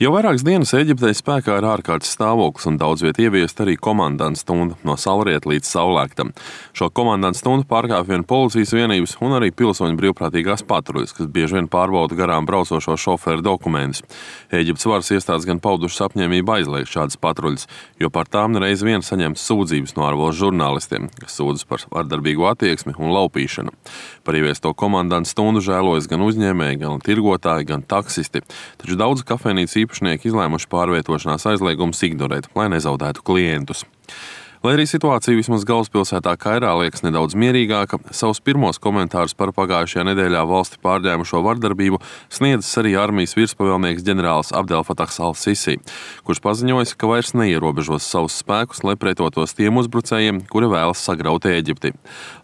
Jau vairākas dienas Ēģiptē spēkā ir ārkārtas stāvoklis un daudz viet ieviest arī komandantu stundu no saulrieta līdz saulēktam. Šo komandantu stundu pārkāpj vien policijas vienības un arī pilsoņu brīvprātīgās patruļas, kas bieži vien pārbauda garām braucošo šoferu dokumentus. Ēģiptes varas iestādes gan paudušas apņēmību aizliegt šādas patruļas, jo par tām reiz vien saņemtas sūdzības no ārvalstu žurnālistiem, kas sūdzas par vardarbīgu attieksmi un laupīšanu. Par ieviesto komandantu stundu žēlojas gan uzņēmēji, gan tirgotāji, gan taksisti, taču daudz kafejnīcu īpašnieki izlēmuši pārvietošanās aizliegumus ignorēt, lai nezaudētu klientus. Lai arī situācija vismaz galvaspilsētā Kairā liekas nedaudz mierīgāka, savus pirmos komentārus par pagājušajā nedēļā valsti pārņēmušo vardarbību sniedzis arī armijas virspavēlnieks ģenerālis Abdel Fatahs al-Sisi, kurš paziņojis, ka vairs neierobežos savus spēkus, lai pretotos tiem uzbrucējiem, kuri vēlas sagraut Ēģipti.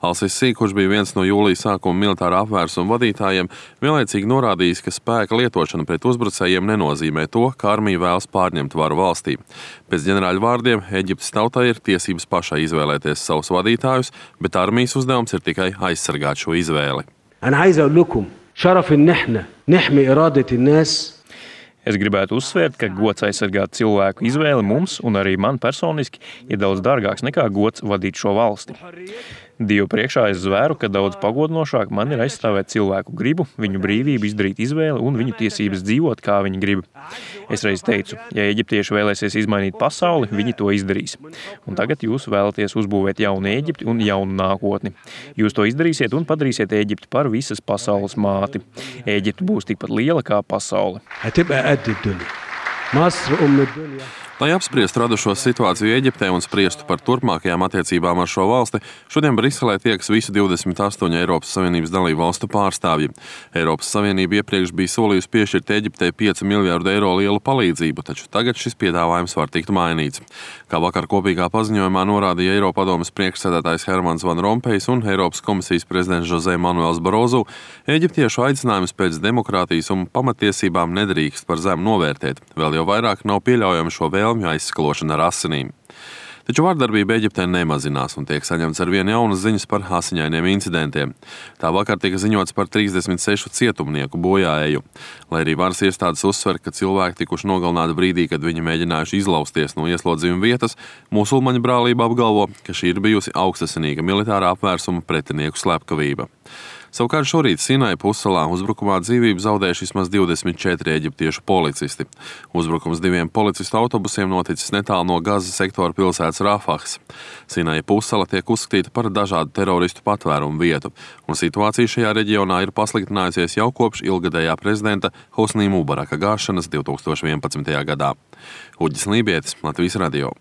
Al-Sisi, kurš bija viens no jūlija sākuma militārā apvērsuma vadītājiem, vienlaicīgi norādījis, ka spēka lietošana pret uzbrucējiem nenozīmē to, ka armija vēlas pārņemt varu valstī. Pēc ģenerāļa vārdiem Ēģiptes tautai ir tiesības pašai izvēlēties savus vadītājus, bet armijas uzdevums ir tikai aizsargāt šo izvēli. Es gribētu uzsvērt, ka gods aizsargāt cilvēku izvēli mums un arī man personiski ir daudz dārgāks nekā gods vadīt šo valsti. Dievu priekšā es zvēru, ka daudz pagodinošāk man ir aizstāvēt cilvēku gribu, viņu brīvību izdarīt izvēli un viņu tiesības dzīvot, kā viņi grib. Es reiz teicu, ja eģiptieši vēlēsies izmainīt pasauli, viņi to izdarīs. Un tagad jūs vēlaties uzbūvēt jaunu Ēģipti un jaunu nākotni. Jūs to izdarīsiet un padarīsiet Ēģipti par visas pasaules māti. Ēģipte būs tikpat liela kā pasaule. Lai apspriestu radušo situāciju Ēģiptē un spriestu par turpmākajām attiecībām ar šo valsti, šodien Briselē tiekas visu 28 Eiropas Savienības dalību valstu pārstāvji. Eiropas Savienība iepriekš bija solījusi piešķirt Ēģiptei 5 miljārdu eiro lielu palīdzību, taču tagad šis piedāvājums var tikt mainīts. Kā vakar kopīgā paziņojumā norādīja Eiropadomes priekšsēdētājs Hermans Van Rompējs un Eiropas komisijas prezidents José Manuels Barozu, ēģiptiešu aicinājums pēc demokrātijas un pamatiesībām nedrīkst par zemu novērtēt. Vēl jau vairāk nav pieļaujami šo vēlmju aizskalošana ar asinīm. Taču vardarbība Ēģiptē nemazinās un tiek saņemts ar vien jaunas ziņas par asiņainiem incidentiem. Tā vakar tika ziņots par 36 cietumnieku bojāēju. Lai arī varas iestādes uzsver, ka cilvēki tikuši nogalināti brīdī, kad viņi mēģinājuši izlausties no ieslodzījuma vietas, musulmaņu brālība apgalvo, ka šī ir bijusi augstasinīga militārā apvērsuma pretinieku slepkavība. Savukārt šorīt Sinai pussalā uzbrukumā dzīvību zaudējuši vismaz 24 eģiptiešu policisti. Uzbrukums 2 policistu autobusiem noticis netālu no Gazas sektora pilsētas Rafahas. Sinai pussala tiek uzskatīta par dažādu teroristu patvērumu vietu, un situācija šajā reģionā ir pasliktinājusies jau kopš ilgadējā prezidenta Hosnī Mubaraka gāšanas 2011. gadā. Uģis Lībietis, Latvijas radio.